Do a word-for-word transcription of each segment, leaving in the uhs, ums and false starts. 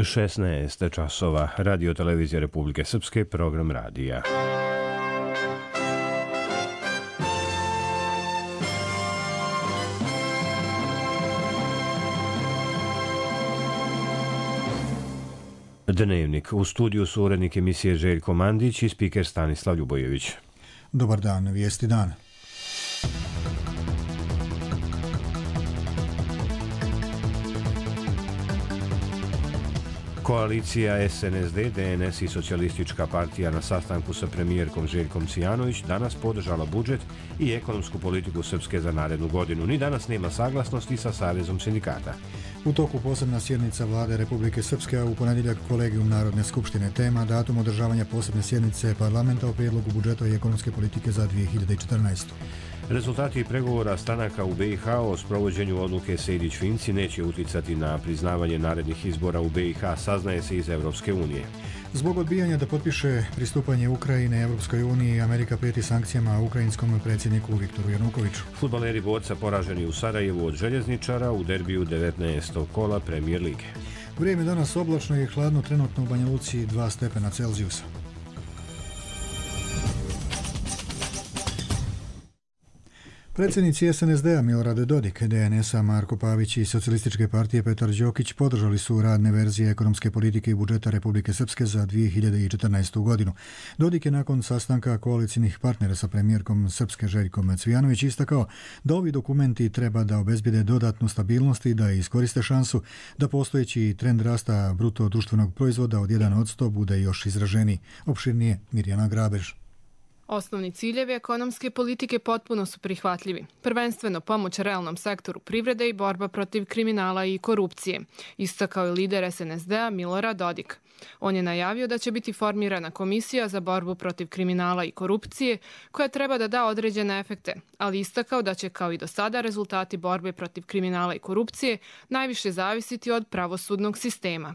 šesnaest časova, Radio televizija Republike Srpske, program radija. Dnevnik. U studiju su urednik emisije Željko Mandić i spiker Stanislav Ljubojević. Dobar dan, vijesti dana. Koalicija S N S D, D N S i Socijalistička partija na sastanku sa premijerkom Željkom Cvijanović danas podržala budžet i ekonomsku politiku Srpske za narednu godinu. Ni danas nema saglasnosti sa Savezom sindikata. U toku posebna sjednica Vlade Republike Srpske, a u ponedjeljak kolegijum Narodne skupštine. Tema datum održavanja posebne sjednice parlamenta o prijedlogu budžeta i ekonomske politike za dvije hiljade četrnaestu. Rezultati pregovora stranaka u B i H o sprovođenju odluke Sejdić-Finci neće uticati na priznavanje narednih izbora u B i H, saznaje se iz Evropske unije. Zbog odbijanja da potpiše pristupanje Ukrajine Evropskoj uniji, Amerika prijeti sankcijama ukrajinskom predsjedniku Viktoru Janukoviću. Fudbaleri Borca poraženi u Sarajevu od Željezničara u derbiju devetnaestog kola Premier lige. Vrijeme danas oblačno i hladno, trenutno u Banja Luci dva stepena Celzijusa. Predsjednici S N S D-a Milorad Dodik, D N S-a Marko Pavić i Socijalističke partije Petar Đokić podržali su radne verzije ekonomske politike i budžeta Republike Srpske za dvije hiljade četrnaestu. godinu. Dodik je nakon sastanka koalicijnih partnera sa premijerkom Srpske Željkom Cvijanović istakao da ovi dokumenti treba da obezbijede dodatnu stabilnost i da iskoriste šansu da postojeći trend rasta bruto društvenog proizvoda od jedan posto bude još izraženiji. Opširnije Mirjana Grabež. Osnovni ciljevi ekonomske politike potpuno su prihvatljivi. Prvenstveno pomoć realnom sektoru privrede i borba protiv kriminala i korupcije, istakao je lider S N S D-a Milorad Dodik. On je najavio da će biti formirana komisija za borbu protiv kriminala i korupcije koja treba da da određene efekte, ali istakao da će kao i do sada rezultati borbe protiv kriminala i korupcije najviše zavisiti od pravosudnog sistema.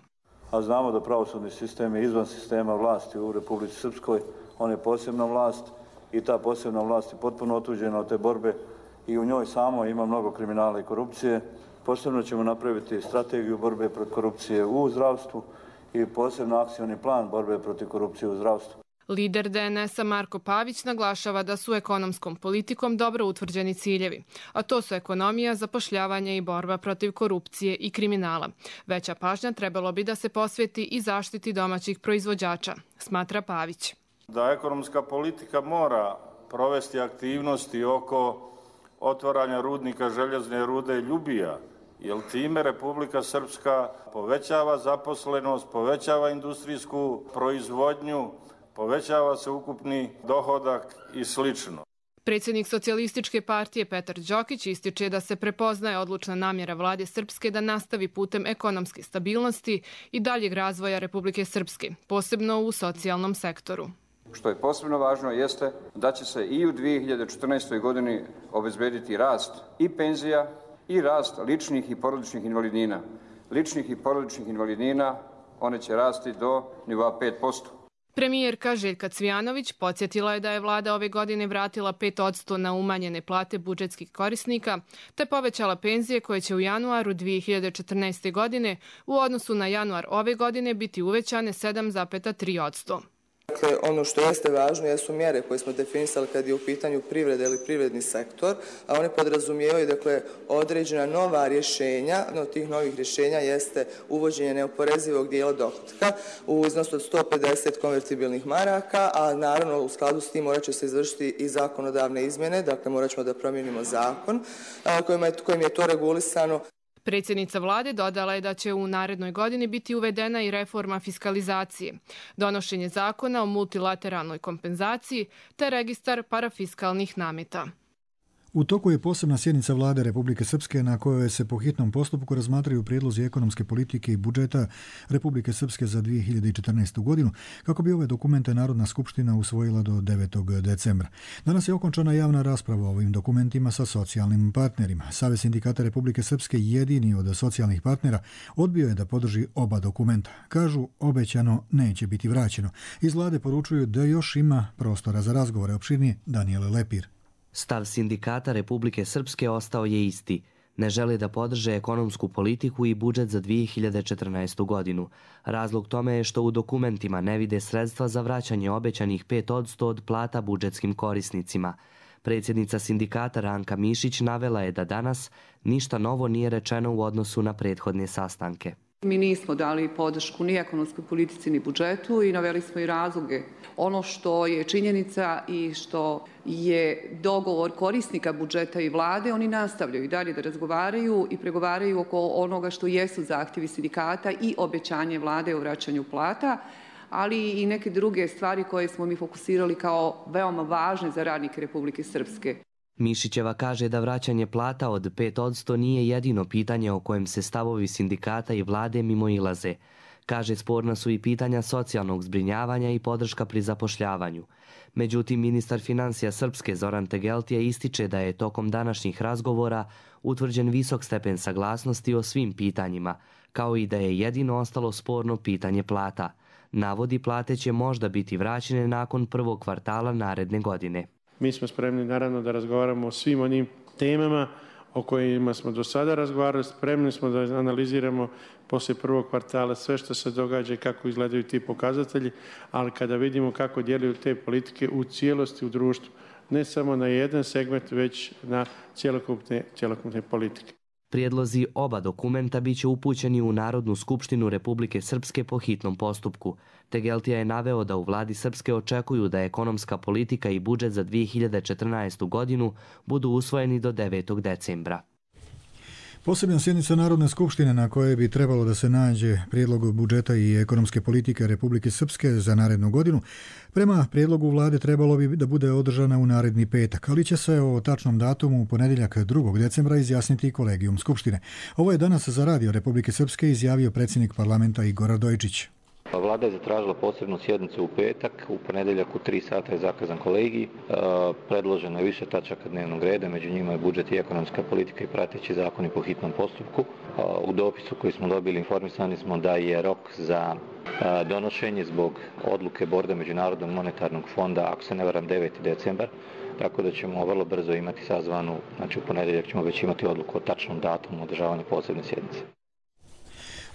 A znamo da pravosudni sistem je izvan sistema vlasti u Republici Srpskoj. On je posebna vlast i ta posebna vlast je potpuno otuđena od te borbe i u njoj samo ima mnogo kriminala i korupcije. Posebno ćemo napraviti strategiju borbe protiv korupcije u zdravstvu i posebno akcioni plan borbe protiv korupcije u zdravstvu. Lider D N S-a Marko Pavić naglašava da su ekonomskom politikom dobro utvrđeni ciljevi, a to su ekonomija, zapošljavanje i borba protiv korupcije i kriminala. Veća pažnja trebalo bi da se posveti i zaštiti domaćih proizvođača, smatra Pavić. Da ekonomska politika mora provesti aktivnosti oko otvaranja rudnika željezne rude Ljubija, jer time Republika Srpska povećava zaposlenost, povećava industrijsku proizvodnju, povećava se ukupni dohodak i slično. Predsjednik Socijalističke partije Petar Đokić ističe da se prepoznaje odlučna namjera vlade Srpske da nastavi putem ekonomske stabilnosti i daljeg razvoja Republike Srpske, posebno u socijalnom sektoru. Što je posebno važno jeste da će se i u dvije hiljade četrnaestoj. godini obezbediti rast i penzija i rast ličnih i porodičnih invalidnina. Ličnih i porodičnih invalidnina one će rasti do nivoa pet posto. Premijerka Željka Cvijanović podsjetila je da je vlada ove godine vratila pet posto na umanjene plate budžetskih korisnika, te povećala penzije koje će u januaru dvije hiljade četrnaeste. godine u odnosu na januar ove godine biti uvećane sedam zarez tri posto. Dakle, ono što jeste važno jesu mjere koje smo definisali kad je u pitanju privrede ili privredni sektor, a one podrazumijevaju dakle, određena nova rješenja. Jedno od tih novih rješenja jeste uvođenje neoporezivog dijela dohotka u iznosu od sto pedeset konvertibilnih maraka, a naravno u skladu s tim morat će se izvršiti i zakonodavne izmjene, dakle morat ćemo da promijenimo zakon kojim je, kojim je to regulisano. Predsjednica vlade dodala je da će u narednoj godini biti uvedena i reforma fiskalizacije, donošenje zakona o multilateralnoj kompenzaciji te registar parafiskalnih nameta. U toku je posebna sjednica Vlade Republike Srpske na kojoj se po hitnom postupku razmatraju prijedlozi ekonomske politike i budžeta Republike Srpske za dvije hiljade četrnaestu. godinu, kako bi ove dokumente Narodna skupština usvojila do devetog decembra. Danas je okončana javna rasprava o ovim dokumentima sa socijalnim partnerima. Savez sindikata Republike Srpske, jedini od socijalnih partnera, odbio je da podrži oba dokumenta. Kažu, obećano neće biti vraćeno. Iz Vlade poručuju da još ima prostora za razgovore. Opširnije Danijele Lepir. Stav sindikata Republike Srpske ostao je isti. Ne žele da podrže ekonomsku politiku i budžet za dvije hiljade četrnaestu. godinu. Razlog tome je što u dokumentima ne vide sredstva za vraćanje obećanih pet posto od plata budžetskim korisnicima. Predsjednica sindikata Ranka Mišić navela je da danas ništa novo nije rečeno u odnosu na prethodne sastanke. Mi nismo dali podršku ni ekonomskoj politici ni budžetu i naveli smo i razloge. Ono što je činjenica i što je dogovor korisnika budžeta i vlade, oni nastavljaju i dalje da razgovaraju i pregovaraju oko onoga što jesu zahtjevi sindikata i obećanje vlade o vraćanju plata, ali i neke druge stvari koje smo mi fokusirali kao veoma važne za radnike Republike Srpske. Mišićeva kaže da vraćanje plata od pet posto nije jedino pitanje o kojem se stavovi sindikata i vlade mimoilaze. Kaže, sporna su i pitanja socijalnog zbrinjavanja i podrška pri zapošljavanju. Međutim, ministar financija Srpske Zoran Tegeltija ističe da je tokom današnjih razgovora utvrđen visok stepen saglasnosti o svim pitanjima, kao i da je jedino ostalo sporno pitanje plata. Navodi, plate će možda biti vraćene nakon prvog kvartala naredne godine. Mi smo spremni naravno da razgovaramo o svim onim temama o kojima smo do sada razgovarali. Spremni smo da analiziramo poslije prvog kvartala sve što se događa i kako izgledaju ti pokazatelji, ali kada vidimo kako djeluju te politike u cijelosti u društvu, ne samo na jedan segment, već na cjelokupne, cjelokupne politike. Prijedlozi oba dokumenta bit će upućeni u Narodnu skupštinu Republike Srpske po hitnom postupku. Tegeltija je naveo da u vladi Srpske očekuju da ekonomska politika i budžet za dvije hiljade četrnaestu. godinu budu usvojeni do devetog decembra. Posebna sjednica Narodne skupštine na kojoj bi trebalo da se nađe prijedlog budžeta i ekonomske politike Republike Srpske za narednu godinu, prema prijedlogu vlade trebalo bi da bude održana u naredni petak, ali će se o tačnom datumu u ponedjeljak drugog decembra izjasniti kolegijum Skupštine. Ovo je danas za Radio Republike Srpske izjavio predsjednik parlamenta Igor Radojičić. Vlada je zatražila posebnu sjednicu u petak, u ponedjeljak u tri sata je zakazan kolegij. Predloženo je više tačaka dnevnog reda, među njima je budžet i ekonomska politika i prateći zakoni po hitnom postupku. U dopisu koji smo dobili informisani smo da je rok za donošenje zbog odluke borda Međunarodnog monetarnog fonda, ako se ne varam, deveti decembar, tako da ćemo vrlo brzo imati sazvanu, znači u ponedjeljak ćemo već imati odluku o tačnom datumu održavanja posebne sjednice.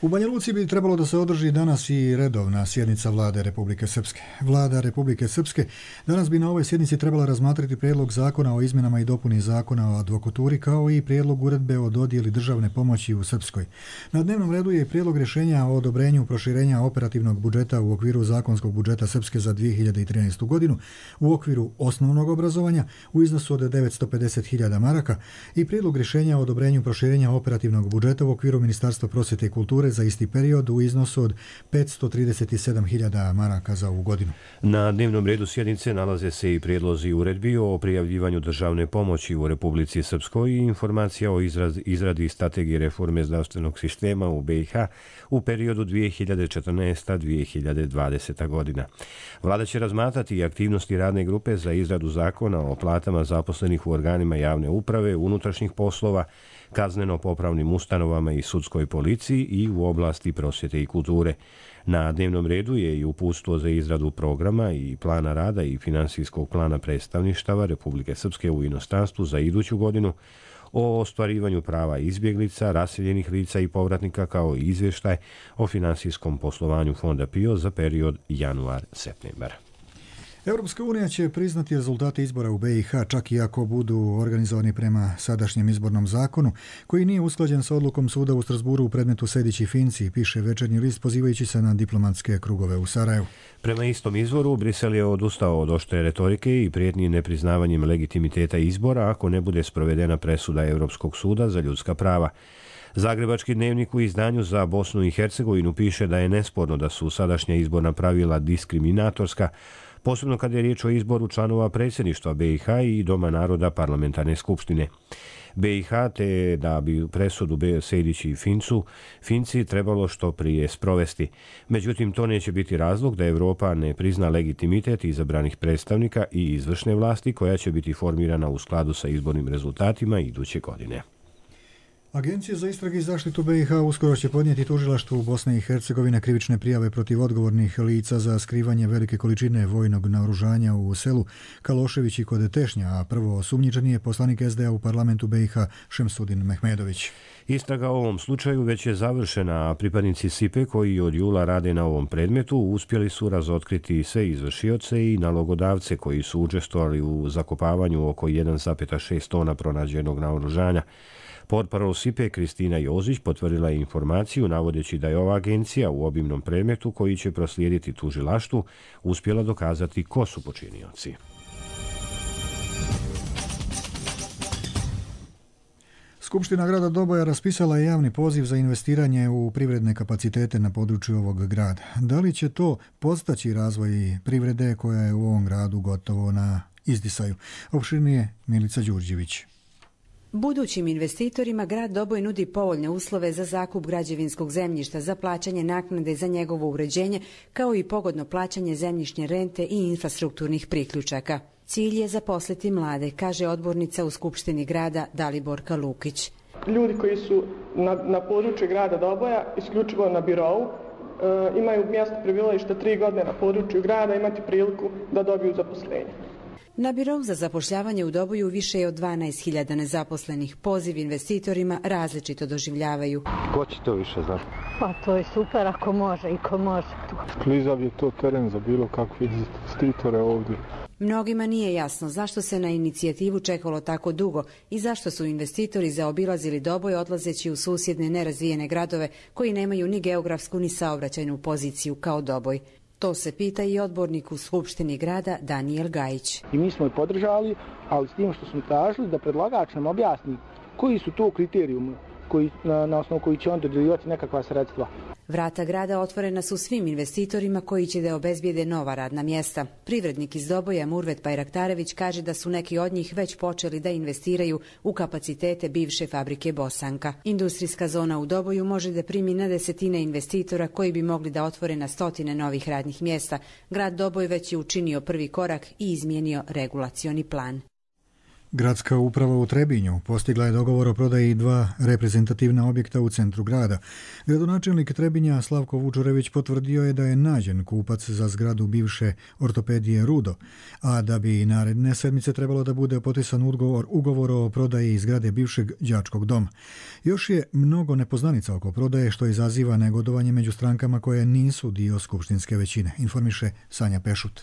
U Banja Luci bi trebalo da se održi danas i redovna sjednica Vlade Republike Srpske. Vlada Republike Srpske danas bi na ovoj sjednici trebala razmatrati prijedlog zakona o izmjenama i dopuni zakona o advokaturi kao i prijedlog uredbe o dodjeli državne pomoći u Srpskoj. Na dnevnom redu je prijedlog rješenja o odobrenju proširenja operativnog budžeta u okviru zakonskog budžeta Srpske za dvije hiljade trinaestu. godinu u okviru osnovnog obrazovanja u iznosu od devetsto pedeset hiljada maraka i prijedlog rješenja o odobrenju proširenja operativnog budžeta u okviru Ministarstva prosvjete i kulture za isti period u iznosu od petsto trideset sedam hiljada maraka za ovu godinu. Na dnevnom redu sjednice nalaze se i prijedlozi uredbi o prijavljivanju državne pomoći u Republici Srpskoj i informacija o izraz, izradi strategije reforme zdravstvenog sistema u be i ha u periodu dvije hiljade četrnaesta do dvije hiljade dvadesete. godina. Vlada će razmatrati i aktivnosti radne grupe za izradu zakona o platama zaposlenih u organima javne uprave, unutrašnjih poslova, kazneno-popravnim ustanovama i sudskoj policiji i u oblasti prosvjete i kulture. Na dnevnom redu je i uputstvo za izradu programa i plana rada i finansijskog plana predstavništava Republike Srpske u inostranstvu za iduću godinu, o ostvarivanju prava izbjeglica, raseljenih lica i povratnika, kao i izvještaj o finansijskom poslovanju Fonda P I O za period januar-septembar. Europska unija će priznati rezultate izbora u be i ha čak i ako budu organizovani prema sadašnjem izbornom zakonu, koji nije usklađen sa odlukom suda u Strasburu u predmetu Sejdić i Finci, piše Večernji list pozivajući se na diplomatske krugove u Sarajevu. Prema istom izvoru, Brisel je odustao od oštre retorike i prijetnji nepriznavanjem legitimiteta izbora ako ne bude sprovedena presuda Europskog suda za ljudska prava. Zagrebački dnevnik u izdanju za Bosnu i Hercegovinu piše da je nesporno da su sadašnja izborna pravila diskriminatorska, posebno kada je riječ o izboru članova predsjedništva be i ha i Doma naroda parlamentarne skupštine be i ha, te da bi presudu Sejdić i Fincu Finci trebalo što prije sprovesti. Međutim, to neće biti razlog da Europa ne prizna legitimitet izabranih predstavnika i izvršne vlasti koja će biti formirana u skladu sa izbornim rezultatima iduće godine. Agencija za istrage i zaštitu B i H uskoro će podnijeti tužilaštvu Bosne i Hercegovine krivične prijave protiv odgovornih lica za skrivanje velike količine vojnog naoružanja u selu Kalošević i kod Tešnja, a prvo osumnjičeni je poslanik S D A u parlamentu B i H Šemsudin Mehmedović. Istraga o ovom slučaju već je završena, a pripadnici S I P E koji od jula rade na ovom predmetu uspjeli su razotkriti sve izvršioce i nalogodavce koji su učestvovali u zakopavanju oko jedan zarez šest tona pronađenog naoružanja. Portparol S I P E Kristina Jozić potvrdila je informaciju navodeći da je ova agencija u obimnom predmetu koji će proslijediti tužilaštvu uspjela dokazati ko su počinioci. Skupština grada Doboja raspisala je javni poziv za investiranje u privredne kapacitete na području ovog grada. Da li će to podstaći razvoj privrede koja je u ovom gradu gotovo na izdisaju? Opširnije Milica Đurđević. Budućim investitorima grad Doboj nudi povoljne uslove za zakup građevinskog zemljišta, za plaćanje naknade za njegovo uređenje, kao i pogodno plaćanje zemljišne rente i infrastrukturnih priključaka. Cilj je zaposliti mlade, kaže odbornica u Skupštini grada Daliborka Lukić. Ljudi koji su na, na području grada Doboja, isključivo na birovu, e, imaju mjesto prebivališta tri godine na području grada, imati priliku da dobiju zaposlenje. Na birou za zapošljavanje u Doboju više je od dvanaest hiljada nezaposlenih. Poziv investitorima različito doživljavaju. Ko će to više znati? Pa to je super ako može i ko može. Klizav je to teren za bilo kakve investitore ovdje. Mnogima nije jasno zašto se na inicijativu čekalo tako dugo i zašto su investitori zaobilazili Doboj odlazeći u susjedne nerazvijene gradove koji nemaju ni geografsku ni saobraćajnu poziciju kao Doboj. To se pita i odbornik u Skupštini grada Danijel Gajić. I mi smo je podržali, ali s tim što smo tražili da predlagač nam objasni koji su to kriterijumi koji, na, na osnovu koji će on dodjeljivati nekakva sredstva. Vrata grada otvorena su svim investitorima koji će da obezbijede nova radna mjesta. Privrednik iz Doboja Murvet Bajraktarević kaže da su neki od njih već počeli da investiraju u kapacitete bivše fabrike Bosanka. Industrijska zona u Doboju može da primi na desetine investitora koji bi mogli da otvore na stotine novih radnih mjesta. Grad Doboj već je učinio prvi korak i izmijenio regulacioni plan. Gradska uprava u Trebinju postigla je dogovor o prodaji dva reprezentativna objekta u centru grada. Gradonačelnik Trebinja Slavko Vučurević potvrdio je da je nađen kupac za zgradu bivše ortopedije Rudo, a da bi naredne sedmice trebalo da bude potpisan ugovor, ugovor o prodaji zgrade bivšeg đačkog doma. Još je mnogo nepoznanica oko prodaje što izaziva negodovanje među strankama koje nisu dio skupštinske većine, informiše Sanja Pešut.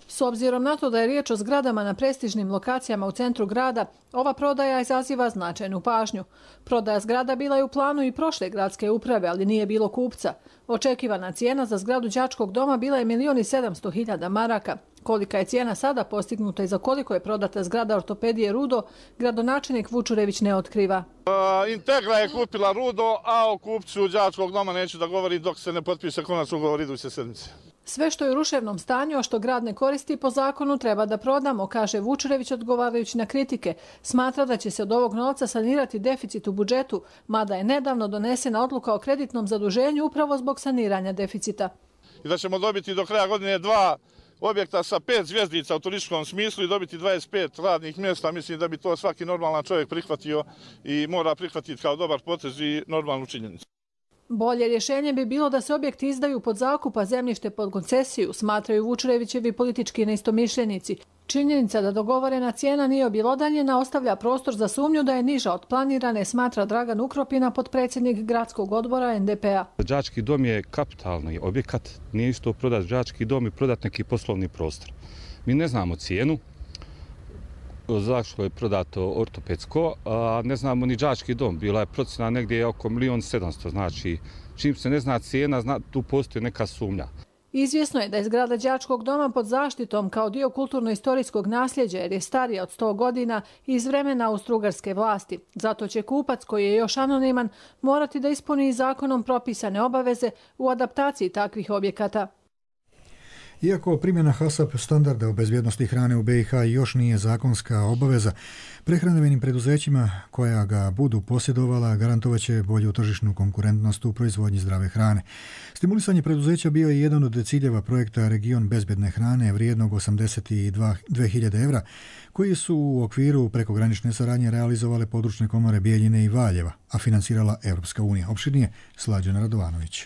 S obzirom na to da je riječ o zgradama na prestižnim lokacijama u centru grada, ova prodaja izaziva značajnu pažnju. Prodaja zgrada bila je u planu i prošle gradske uprave, ali nije bilo kupca. Očekivana cijena za zgradu đačkog doma bila je milion i sedamsto hiljada maraka. Kolika je cijena sada postignuta i za koliko je prodata zgrada ortopedije Rudo, gradonačelnik Vučurević ne otkriva. Uh, Integra je kupila Rudo, a o kupcu đačkog doma neću da govori dok se ne potpiše konačni ugovor iduće sedmice. Sve što je u ruševnom stanju, a što grad ne koristi po zakonu, treba da prodamo, kaže Vučurević odgovarajući na kritike. Smatra da će se od ovog novca sanirati deficit u budžetu, mada je nedavno donesena odluka o kreditnom zaduženju upravo zbog saniranja deficita. I da ćemo dobiti do kraja godine dva objekta sa pet zvjezdica u turističkom smislu i dobiti dvadeset pet radnih mjesta. Mislim da bi to svaki normalan čovjek prihvatio i mora prihvatiti kao dobar potez i normalnu činjenicu. Bolje rješenje bi bilo da se objekti izdaju pod zakup, a zemljište pod koncesiju, smatraju Vučurevićevi politički neistomišljenici. Činjenica da dogovorena cijena nije objelodanjena ostavlja prostor za sumnju da je niža od planirane, smatra Dragan Ukropina, potpredsjednik gradskog odbora N D P-a. Đački dom je kapitalni objekat, nije isto prodati đački dom i prodati neki poslovni prostor. Mi ne znamo cijenu, zašto je prodato ortopedsko, a ne znamo ni đački dom. Bila je procjena negdje oko milion sedamsto, znači čim se ne zna cijena, zna, tu postoji neka sumnja. Izvjesno je da je zgrada đačkog doma pod zaštitom kao dio kulturno-istorijskog nasljeđa jer je starija od sto godina iz vremena austrougarske vlasti. Zato će kupac, koji je još anoniman, morati da ispuni zakonom propisane obaveze u adaptaciji takvih objekata. Iako primjena HASAP standarda o bezbjednosti hrane u B i H još nije zakonska obaveza, prehrambenim preduzećima koja ga budu posjedovala garantovat će bolju tržišnu konkurentnost u proizvodnji zdrave hrane. Stimulisanje preduzeća bio je jedan od ciljeva projekta Region bezbjedne hrane vrijednog osamdeset dvije hiljade evra, koji su u okviru prekogranične saradnje realizovale područne komore Bijeljine i Valjeva, a financirala Europska unija. Opširnije Slađana Radovanović.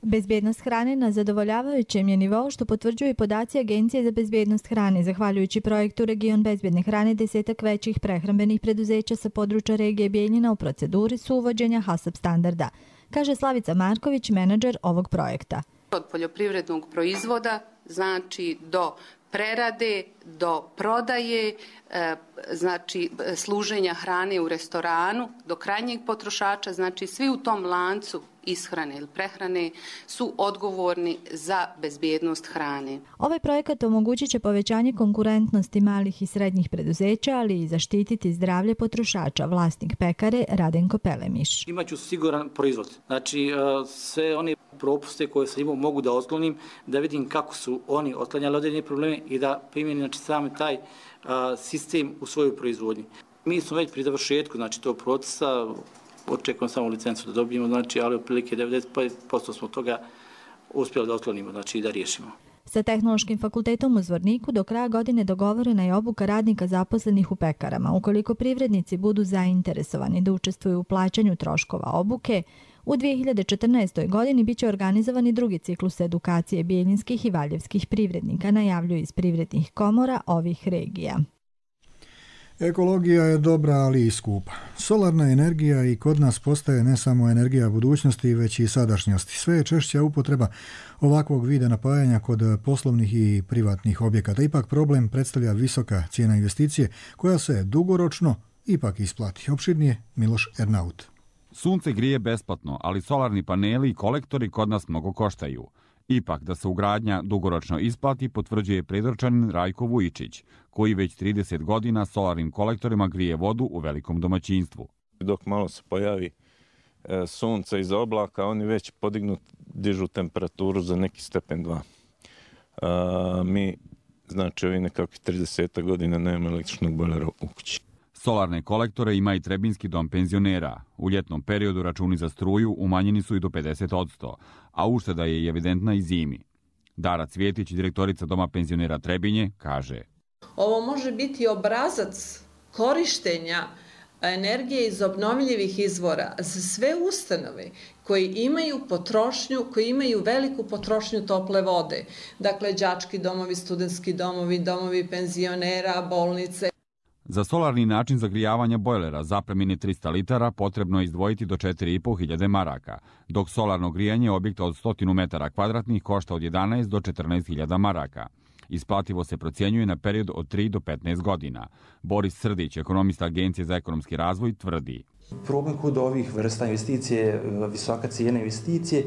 Bezbjednost hrane na zadovoljavajućem je nivou, što potvrđuju i podaci Agencije za bezbjednost hrane. Zahvaljujući projektu Region bezbjedne hrane, desetak većih prehrambenih preduzeća sa područja regije Bijeljina u proceduri su uvođenja HASAP standarda, kaže Slavica Marković, menadžer ovog projekta. Od poljoprivrednog proizvoda, znači do prerade, do prodaje, znači služenja hrane u restoranu, do krajnjeg potrošača, znači svi u tom lancu ishrane ili prehrane su odgovorni za bezbjednost hrane. Ovaj projekat omogućit će povećanje konkurentnosti malih i srednjih preduzeća, ali i zaštititi zdravlje potrošača, vlasnik pekare Radenko Pelemiš. Imaću siguran proizvod. Znači sve one propuste koje sam imao mogu da otklonim, da vidim kako su oni otklanjali određene probleme i da primjenim znači, sam taj a, sistem u svoju proizvodnji. Mi smo već pri završetku znači, tog procesa, očekujem samo licencu da dobijemo, znači, ali otprilike devedeset posto smo toga uspjeli da otklonimo, znači i da riješimo. Sa Tehnološkim fakultetom u Zvorniku do kraja godine dogovorena je obuka radnika zaposlenih u pekarama. Ukoliko privrednici budu zainteresovani da učestvuju u plaćanju troškova obuke, u dvije hiljade četrnaestoj. godini biće organizovani drugi ciklus edukacije bijeljinskih i valjevskih privrednika, najavljuju iz privrednih komora ovih regija. Ekologija je dobra, ali i skupa. Solarna energija i kod nas postaje ne samo energija budućnosti, već i sadašnjosti. Sve je češća upotreba ovakvog vida napajanja kod poslovnih i privatnih objekata. Ipak problem predstavlja visoka cijena investicije, koja se dugoročno ipak isplati. Opširnije Miloš Ernaut. Sunce grije besplatno, ali solarni paneli i kolektori kod nas mnogo koštaju. Ipak da se ugradnja dugoročno isplati, potvrđuje predorčanin Rajko Vujičić, koji već trideset godina solarnim kolektorima grije vodu u velikom domaćinstvu. Dok malo se pojavi e, sunce iza oblaka, oni već podignu, dižu temperaturu za neki stepen dva. A, mi, znači, ovi nekakvih trideset godina nemamo električnog bojlera u kući. Solarne kolektore ima i Trebinski dom penzionera. U ljetnom periodu računi za struju umanjeni su i do pedeset posto, a ušteda je i evidentna i zimi. Dara Cvjetić, direktorica Doma penzionera Trebinje, kaže: Ovo može biti obrazac korištenja energije iz obnovljivih izvora za sve ustanove koji imaju potrošnju, koji imaju veliku potrošnju tople vode. Dakle, đački domovi, studentski domovi, domovi penzionera, bolnice. Za solarni način zagrijavanja bojlera zapremine trista litara potrebno je izdvojiti do četiri i po hiljade maraka, dok solarno grijanje objekta od sto metara kvadratnih košta od jedanaest do četrnaest hiljada maraka. Isplativo se procjenjuje na period od tri do petnaest godina. Boris Srdić, ekonomista Agencije za ekonomski razvoj, tvrdi: Problem kod ovih vrsta investicije je visoka cijena investicije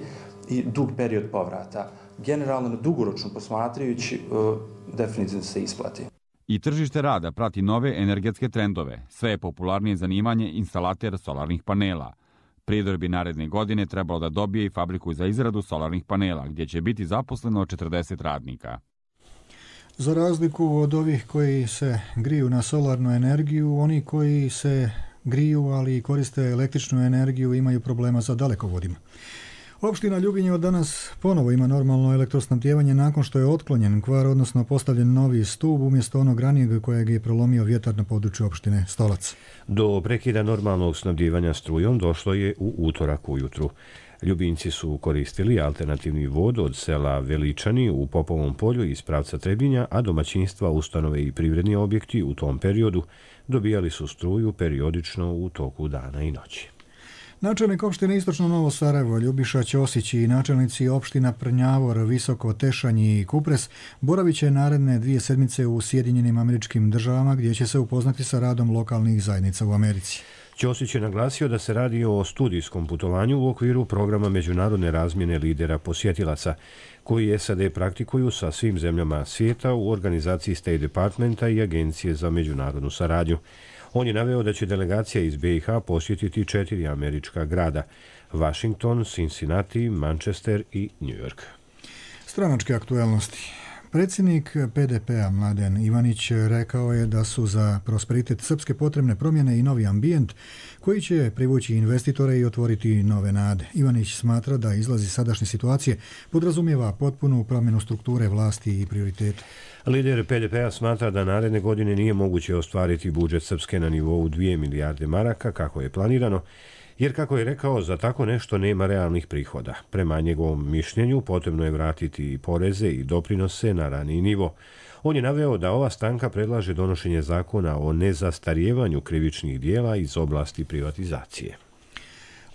i dug period povrata. Generalno, dugoročno posmatrajući, definitivno se isplati. I tržište rada prati nove energetske trendove. Sve je popularnije zanimanje instalater solarnih panela. Prijedor bi naredne godine trebalo da dobije i fabriku za izradu solarnih panela, gdje će biti zaposleno četrdeset radnika. Za razliku od ovih koji se griju na solarnu energiju, oni koji se griju, ali i koriste električnu energiju, imaju problema sa dalekovodima. Opština Ljubinje od danas ponovo ima normalno elektrosnabdijevanje nakon što je otklonjen kvar, odnosno postavljen novi stub umjesto onog ranijeg kojeg je prolomio vjetar na području opštine Stolac. Do prekida normalnog snabdijevanja strujom došlo je u utorak ujutru. Ljubinci su koristili alternativni vod od sela Veličani u Popovom polju iz pravca Trebinja, a domaćinstva, ustanove i privredni objekti u tom periodu dobijali su struju periodično u toku dana i noći. Načelnik opštine Istočno Novo Sarajevo Ljubiša Ćosić i načelnici opština Prnjavor, Visoko, Tešanj i Kupres boravit će naredne dvije sedmice u Sjedinjenim Američkim Državama, gdje će se upoznati sa radom lokalnih zajednica u Americi. Ćosić je naglasio da se radi o studijskom putovanju u okviru programa međunarodne razmjene lidera posjetilaca, koji S A D praktikuju sa svim zemljama svijeta u organizaciji State Departmenta i Agencije za međunarodnu saradnju. On je naveo da će delegacija iz B i H posjetiti četiri američka grada: Washington, Cincinnati, Manchester i New York. Stranačke aktuelnosti. Predsjednik P D P-a Mladen Ivanić rekao je da su za prosperitet Srpske potrebne promjene i novi ambijent koji će privući investitore i otvoriti nove nade. Ivanić smatra da izlazi sadašnje situacije podrazumijeva potpunu promjenu strukture vlasti i prioriteta. Lider P D P-a smatra da naredne godine nije moguće ostvariti budžet Srpske na nivou dvije milijarde maraka kako je planirano, jer kako je rekao, za tako nešto nema realnih prihoda. Prema njegovom mišljenju potrebno je vratiti i poreze i doprinose na raniji nivo. On je naveo da ova stranka predlaže donošenje zakona o nezastarijevanju krivičnih dijela iz oblasti privatizacije.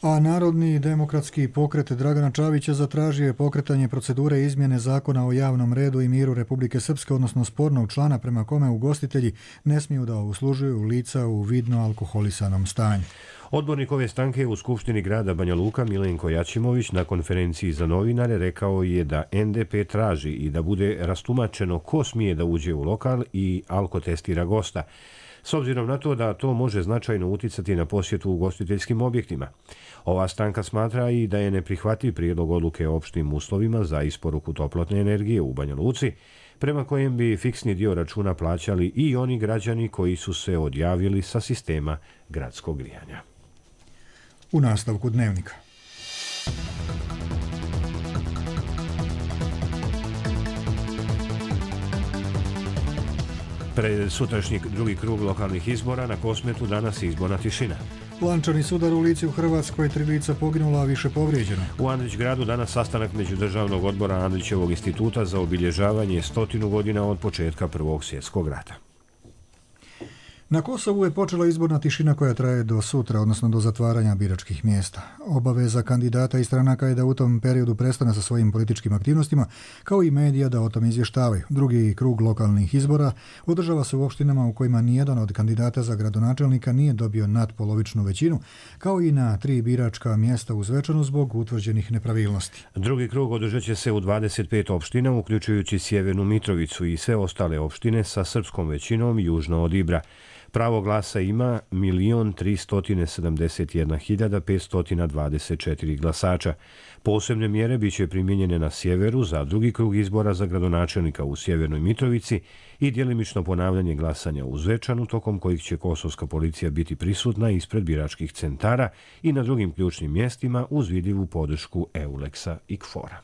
A Narodni demokratski pokret Dragana Čavića zatražio je pokretanje procedure izmjene zakona o javnom redu i miru Republike Srpske, odnosno spornog člana prema kome ugostitelji ne smiju da uslužuju lica u vidno alkoholisanom stanju. Odbornik ove stranke u Skupštini grada Banja Luka Milenko Jačimović na konferenciji za novinare rekao je da N D P traži i da bude rastumačeno ko smije da uđe u lokal i alkotestira gosta, s obzirom na to da to može značajno uticati na posjetu ugostiteljskim objektima. Ova stranka smatra i da je neprihvatljiv prijedlog odluke o opštim uslovima za isporuku toplotne energije u Banja Luci, prema kojem bi fiksni dio računa plaćali i oni građani koji su se odjavili sa sistema gradskog grijanja. U nastavku dnevnika. Pred sutrašnji drugi krug lokalnih izbora na Kosmetu danas je izborna tišina. Lančani sudar u Lici u Hrvatskoj, tri lica poginula, a više povrijeđeno. U Andrić gradu danas sastanak Međudržavnog odbora Andrićevog instituta za obilježavanje stotinu godina od početka Prvog svjetskog rata. Na Kosovu je počela izborna tišina koja traje do sutra, odnosno do zatvaranja biračkih mjesta. Obaveza kandidata i stranaka je da u tom periodu prestane sa svojim političkim aktivnostima, kao i medija da o tom izvještavaju. Drugi krug lokalnih izbora održava se u opštinama u kojima nijedan od kandidata za gradonačelnika nije dobio nadpolovičnu većinu, kao i na tri biračka mjesta u Zvečanu zbog utvrđenih nepravilnosti. Drugi krug održat će se u dvadeset pet opština, uključujući Sjevernu Mitrovicu i sve ostale opštine sa srpskom većinom južno od Ibra. Pravo glasa ima milion tristo sedamdeset jedna hiljada petsto dvadeset četiri glasača. Posebne mjere biće primijenjene na sjeveru za drugi krug izbora za gradonačelnika u Sjevernoj Mitrovici i djelimično ponavljanje glasanja u Zvečanu, tokom kojih će kosovska policija biti prisutna ispred biračkih centara i na drugim ključnim mjestima uz vidljivu podršku Euleksa i Kfora.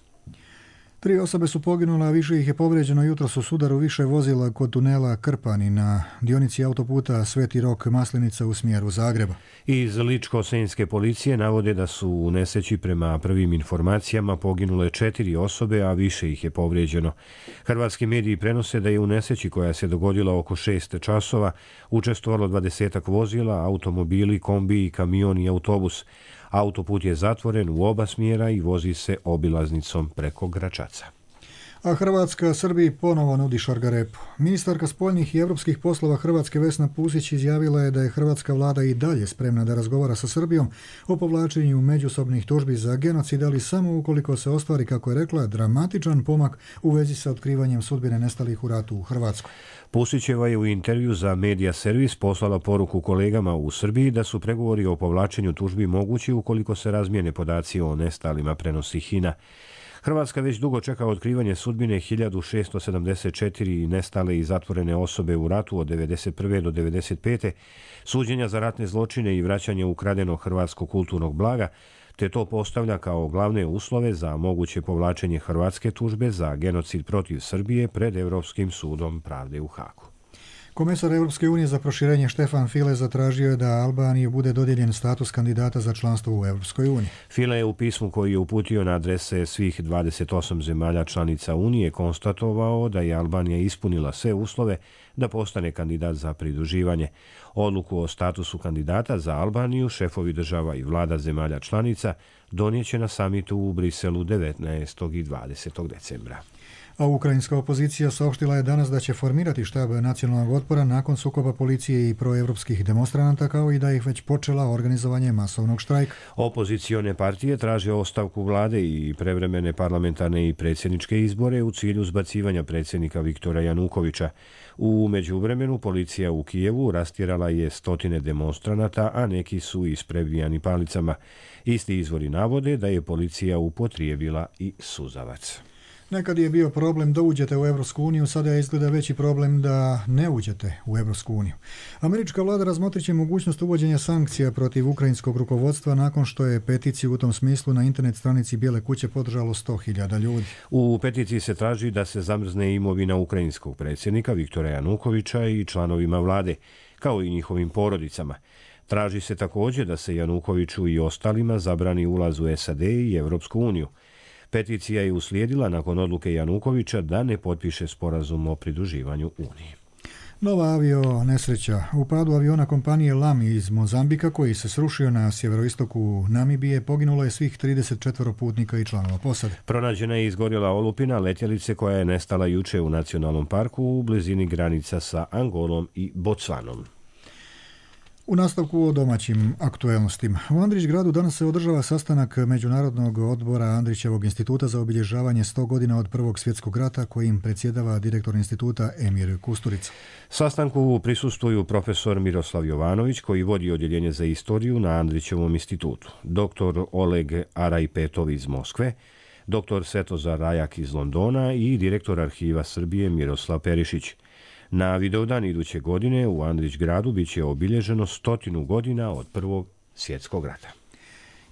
Tri osobe su poginule, a više ih je povrijeđeno jutros u sudaru više vozila kod tunela Krpani na dionici autoputa Sveti Rok Maslinica u smjeru Zagreba. Iz Ličko-senjske policije navode da su u nesreći prema prvim informacijama poginule četiri osobe, a više ih je povrijeđeno. Hrvatski mediji prenose da je u nesreći koja se dogodila oko šest časova učestvovalo dvadesetak vozila, automobili, kombi, kamion i autobus. Autoput je zatvoren u oba smjera i vozi se obilaznicom preko Gračaca. A Hrvatska Srbiji ponovo nudi šargarepu. Ministarka spoljnih i evropskih poslova Hrvatske Vesna Pusić izjavila je da je hrvatska vlada i dalje spremna da razgovara sa Srbijom o povlačenju međusobnih tužbi za genocid, ali samo ukoliko se ostvari, kako je rekla, dramatičan pomak u vezi sa otkrivanjem sudbine nestalih u ratu u Hrvatskoj. Pusićeva je u intervju za Media Servis poslala poruku kolegama u Srbiji da su pregovori o povlačenju tužbi mogući ukoliko se razmijene podaci o nestalima, prenosi Hina. Hrvatska već dugo čeka otkrivanje sudbine hiljadu šesto sedamdeset četiri nestale i zatvorene osobe u ratu od devedeset prve do devedeset pete, suđenja za ratne zločine i vraćanje ukradenog hrvatskog kulturnog blaga, te to postavlja kao glavne uslove za moguće povlačenje hrvatske tužbe za genocid protiv Srbije pred Europskim sudom pravde u Hagu. Komesar Europske unije za proširenje Štefan File zatražio je da Albaniji bude dodijeljen status kandidata za članstvo u Europskoj uniji. File je u pismu koji je uputio na adrese svih dvadeset osam zemalja članica Unije konstatovao da je Albanija ispunila sve uslove da postane kandidat za pridruživanje. Odluku o statusu kandidata za Albaniju šefovi država i vlada zemalja članica donijeće na samitu u Briselu devetnaestog i dvadesetog decembra. A ukrajinska opozicija saopštila je danas da će formirati štab nacionalnog otpora nakon sukoba policije i proevropskih demonstranata, kao i da ih već počela organizovanje masovnog štrajka. Opozicione partije traže ostavku vlade i prevremene parlamentarne i predsjedničke izbore u cilju zbacivanja predsjednika Viktora Janukovića. U međuvremenu policija u Kijevu rastjerala je stotine demonstranata, a neki su isprebijani palicama. Isti izvori navode da je policija upotrijebila i suzavac. Nekad je bio problem da uđete u Evropsku uniju, sada je izgleda veći problem da ne uđete u Evropsku uniju. Američka vlada razmotrit će mogućnost uvođenja sankcija protiv ukrajinskog rukovodstva nakon što je peticiju u tom smislu na internet stranici Bijele kuće podržalo sto hiljada ljudi. U peticiji se traži da se zamrzne imovina ukrajinskog predsjednika Viktora Janukovića i članovima vlade, kao i njihovim porodicama. Traži se također da se Janukoviću i ostalima zabrani ulaz u S A D i Evropsku uniju. Peticija je uslijedila nakon odluke Janukovića da ne potpiše sporazum o pridruživanju Uniji. Nova avio nesreća. U padu aviona kompanije Lami iz Mozambika, koji se srušio na sjeveroistoku Namibije, poginulo je svih trideset četvoro putnika i članova posade. Pronađena je izgorjela olupina letjelice koja je nestala juče u nacionalnom parku u blizini granica sa Angolom i Botsvanom. U nastavku o domaćim aktuelnostima. U Andrić gradu danas se održava sastanak Međunarodnog odbora Andrićevog instituta za obilježavanje sto godina od Prvog svjetskog rata, kojim predsjedava direktor instituta Emir Kusturica. Sastanku prisustvuju profesor Miroslav Jovanović, koji vodi odjeljenje za istoriju na Andrićevom institutu, doktor Oleg Arajpetov iz Moskve, doktor Svetozar Rajak iz Londona i direktor arhiva Srbije Miroslav Perišić. Na Vidovdan iduće godine u Andrić gradu bit će obilježeno stotinu godina od Prvog svjetskog rata.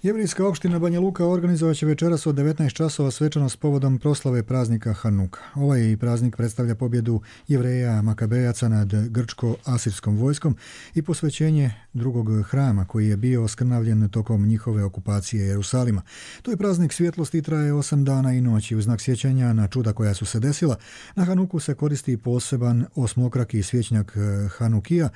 Jevrijska opština Banja Luka organizovat će večeras od devetnaest časova svečanost povodom proslave praznika Hanuka. Ovaj praznik predstavlja pobjedu Jevreja Makabejaca nad grčko-asirskom vojskom i posvećenje drugog hrama koji je bio oskrnavljen tokom njihove okupacije Jerusalima. To je praznik svjetlosti i traje osam dana i noći. U znak sjećanja na čuda koja su se desila, na Hanuku se koristi poseban osmokraki svjećnjak Hanukija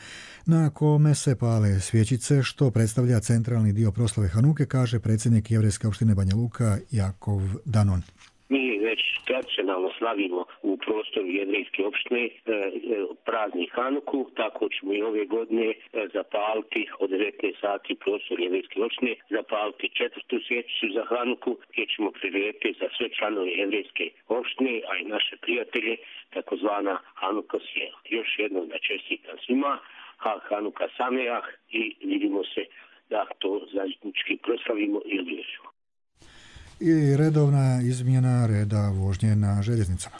na kome se pale svjećice, što predstavlja centralni dio proslave Hanuke, kaže predsjednik Jevrijske opštine Banja Luka Jakov Danon. Mi već tradicionalno slavimo u prostoru Jevrijske opštine e, praznik Hanuku, tako ćemo i ove godine e, zapaliti od devetnaest sati prostor Jevrijske opštine, zapaliti četvrtu svjećicu za Hanuku, gdje ćemo prirediti za sve članove Jevrijske opštine, a i naše prijatelje, takozvana Hanuka sjela. Još jednom da čestitam svima, ha Hanuka Sameah i vidimo se da to zajednički proslavimo i obilježimo. I redovna izmjena reda vožnje na željeznicama.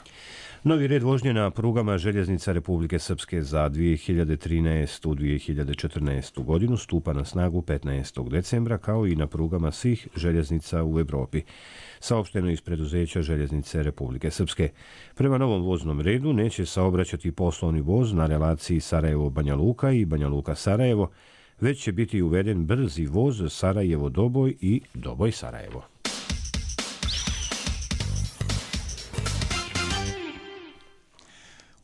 Novi red vožnje na prugama željeznica Republike Srpske za dvije hiljade trinaestu do dvije hiljade četrnaestu godinu stupa na snagu petnaestog decembra, kao i na prugama svih željeznica u Evropi, saopšteno iz preduzeća Željeznice Republike Srpske. Prema novom voznom redu neće saobraćati poslovni voz na relaciji Sarajevo-Banja Luka i Banja Luka-Sarajevo, već će biti uveden brzi voz Sarajevo-Doboj i Doboj-Sarajevo.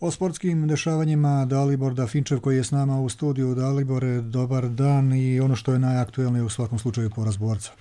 O sportskim dešavanjima Dalibor Dafinčev, koji je s nama u studiju. Dalibore, dobar dan i ono što je najaktuelnije u svakom slučaju poraz Borca.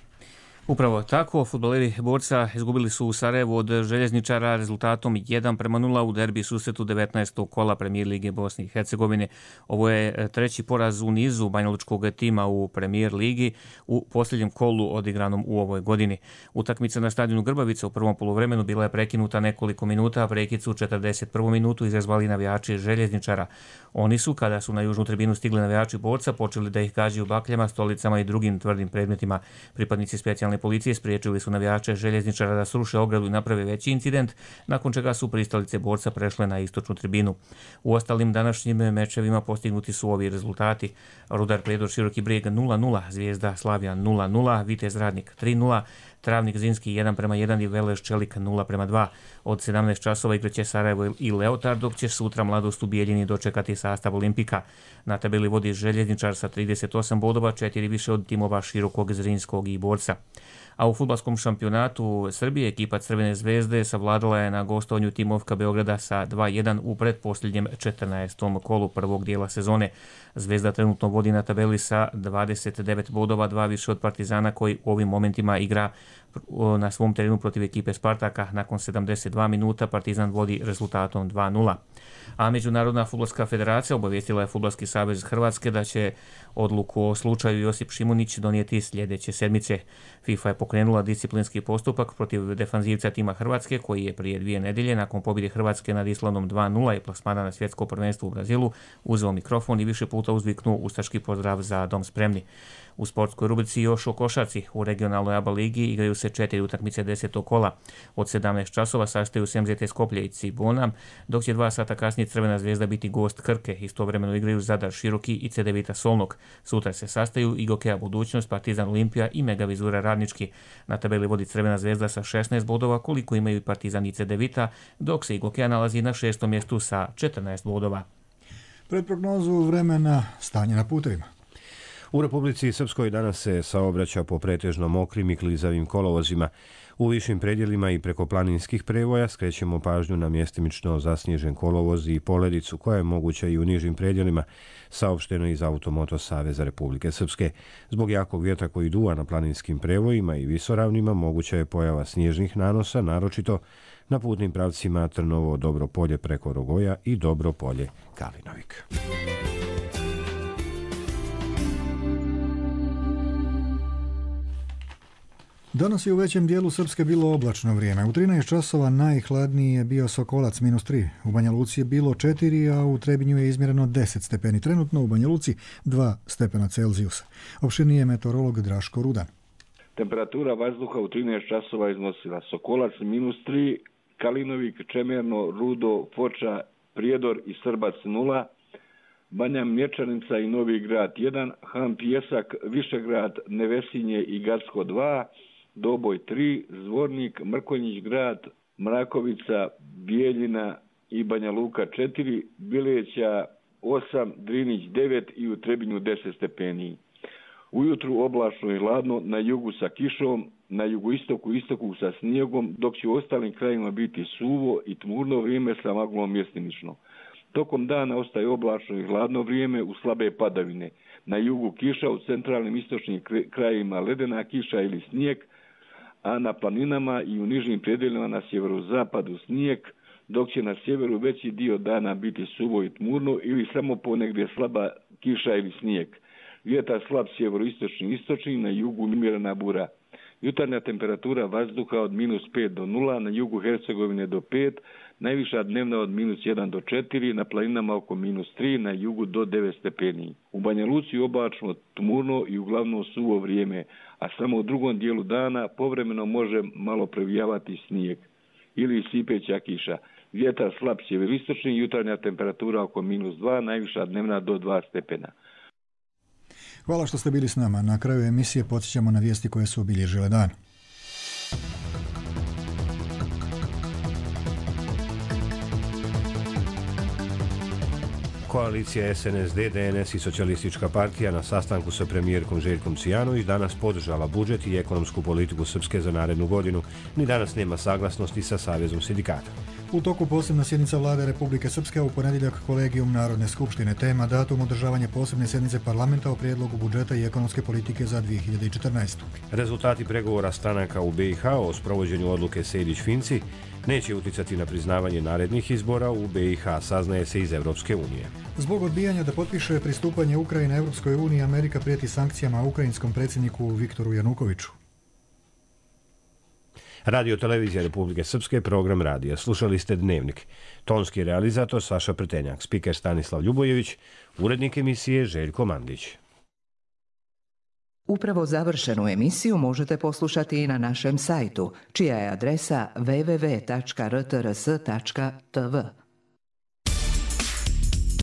Upravo tako, fudbaleri Borca izgubili su u Sarajevu od Željezničara rezultatom jedan prema nula u derbi susretu devetnaestog kola Premijer Lige Bosne i Hercegovine. Ovo je treći poraz u nizu banjalučkog tima u Premijer Ligi u posljednjem kolu odigranom u ovoj godini. Utakmica na stadionu Grbavica u prvom poluvremenu bila je prekinuta nekoliko minuta, a prekid su u četrdeset prvu minutu izazvali navijači Željezničara. Oni su, kada su na južnu tribinu stigli navijači Borca, počeli da ih gađaju bakljama, stolicama i drugim tvrdim predmetima. Pripadnici specijalne policije spriječili su navijače Željezničara da sruše ogradu i naprave veći incident, nakon čega su pristalice Borca prešle na istočnu tribinu. U ostalim današnjim mečevima postignuti su ovi rezultati. Rudar Prijedor Široki Brijeg nula nula, Zvijezda Slavija nula nula, Vitez Radnik tri nula, Travnik Zinski jedan prema jedan i Veleš Čelik nula prema dva. Od sedamnaest časova igraće Sarajevo i Leotard, dok će sutra Mladost u Bijeljini dočekati sastav Olimpika. Na tabeli vodi Željezničar sa trideset osam bodova, četiri više od timova Širokog, Zrinskog i Borca. A u fudbalskom šampionatu Srbije ekipa Crvene zvezde savladala je na gostovanju timovka Beograda sa dva jedan u pretposljednjem četrnaestom kolu prvog dijela sezone. Zvezda trenutno vodi na tabeli sa dvadeset devet bodova, dva više od Partizana koji u ovim momentima igra na svom terenu protiv ekipe Spartaka. Nakon sedamdeset dva minuta Partizan vodi rezultatom dva nula. A Međunarodna fudbalska federacija obavijestila je Fudbalski savez Hrvatske da će odluku o slučaju Josip Šimunić donijeti sljedeće sedmice. FIFA je pokrenula disciplinski postupak protiv defanzivca tima Hrvatske, koji je prije dvije nedjelje nakon pobjede Hrvatske nad Islandom dva nula i plasmana na svjetsko prvenstvo u Brazilu uzeo mikrofon i više puta uzviknuo ustaški pozdrav za dom spremni. U sportskoj rubrici još o košarci. U regionalnoj A B A ligi igraju se četiri utakmice desetog kola. Od sedamnaest časova sastaju se M Z T Skoplje i Cibona, dok će dva sata kasnije Crvena zvezda biti gost Krke. Istovremeno igraju Zadar Široki i C D Vita Solnog. Sutra se sastaju i Gokeja Budućnost, Partizan Olimpija i Mega Vizura Radnički. Na tabeli vodi Crvena zvezda sa šesnaest bodova, koliko imaju i Partizan i C D Vita, dok se i Gokeja nalazi na šestom mjestu sa četrnaest bodova. Pred prognozu vremena stanje na putevima. U Republici Srpskoj danas se saobraća po pretežno mokrim i klizavim kolovozima. U višim predjelima i preko planinskih prevoja skrećemo pažnju na mjestimično zasnježen kolovoz i poledicu koja je moguća i u nižim predjelima, saopšteno iz Automoto Saveza Republike Srpske. Zbog jakog vjetra koji duva na planinskim prevojima i visoravnima moguća je pojava snježnih nanosa, naročito na putnim pravcima Trnovo Dobro Polje preko Rogoja i Dobro Polje Kalinovik. Danas je u većem dijelu Srpske bilo oblačno vrijeme. U trinaest časova najhladniji je bio Sokolac minus tri. U Banja Luci je bilo četiri, a u Trebinju je izmjereno deset stepeni. Trenutno u Banja Luci dva stepena Celzijusa. Opširnije je meteorolog Draško Rudan. Temperatura vazduha u trinaest časova iznosila Sokolac minus tri, Kalinovik, Čemerno, Rudo, Foča, Prijedor i Srbac nula, Banja Mlječanica i Novi Grad jedan, Han Pijesak, Višegrad, Nevesinje i Gacko dva, Doboj tri, Zvornik, Mrkonjić Grad, Mrakovica, Bijeljina i Banja Luka četiri, Bileća osam, Drinić devet i u Trebinju deset stepeni. Ujutru oblačno i hladno, na jugu sa kišom, na jugoistoku i istoku sa snijegom, dok će u ostalim krajima biti suvo i tmurno vrijeme sa maglom mjestimično. Tokom dana ostaje oblačno i hladno vrijeme u slabe padavine. Na jugu kiša, u centralnim istočnim krajima ledena kiša ili snijeg, a na planinama i u nižim predjelima na sjeverozapadu snijeg, dok će na sjeveru veći dio dana biti suvo i tmurno ili samo ponegdje slaba kiša ili snijeg. Vjetar slab sjeveroistočni istočni, na jugu umjerena bura. Jutarnja temperatura vazduha od minus pet do nula, na jugu Hercegovine do pet, najviša dnevna od minus jedan do četiri, na planinama oko minus tri, na jugu do devet stepeni. U Banja Luci oblačno, tmurno i uglavnom suvo vrijeme, a samo u drugom dijelu dana povremeno može malo previjavati snijeg ili sipeća kiša. Vjetar slab sjeveroistočni, jutarnja temperatura oko minus dva, najviša dnevna do dva stepena. Hvala što ste bili s nama. Na kraju emisije podsjećamo na vijesti koje su obilježile dan. Koalicija S N S D, D N S i Socijalistička partija na sastanku sa premijerkom Željkom Cijanović danas podržala budžet i ekonomsku politiku Srpske za narednu godinu. Ni danas nema saglasnosti sa Savezom sindikata. U toku posebna sjednica Vlade Republike Srpske, u ponedjeljak kolegijum Narodne skupštine, tema datum održavanja posebne sjednice parlamenta o prijedlogu budžeta i ekonomske politike za dvije hiljade četrnaestu. Rezultati pregovora stranaka u B i H o sprovođenju odluke Sejdić-Finci neće uticati na priznavanje narednih izbora u B i H, saznaje se iz Evropske unije. Zbog odbijanja da potpiše pristupanje Ukrajine Evropskoj uniji, Amerika prijeti sankcijama ukrajinskom predsjedniku Viktoru Janukoviću. Radio Televizija Republike Srpske, program radija. Slušali ste Dnevnik. Tonski realizator Saša Pretenjak, spiker Stanislav Ljubojević, urednik emisije Željko Mandić. Upravo završenu emisiju možete poslušati i na našem sajtu, čija je adresa w w w tačka r t r s tačka t v.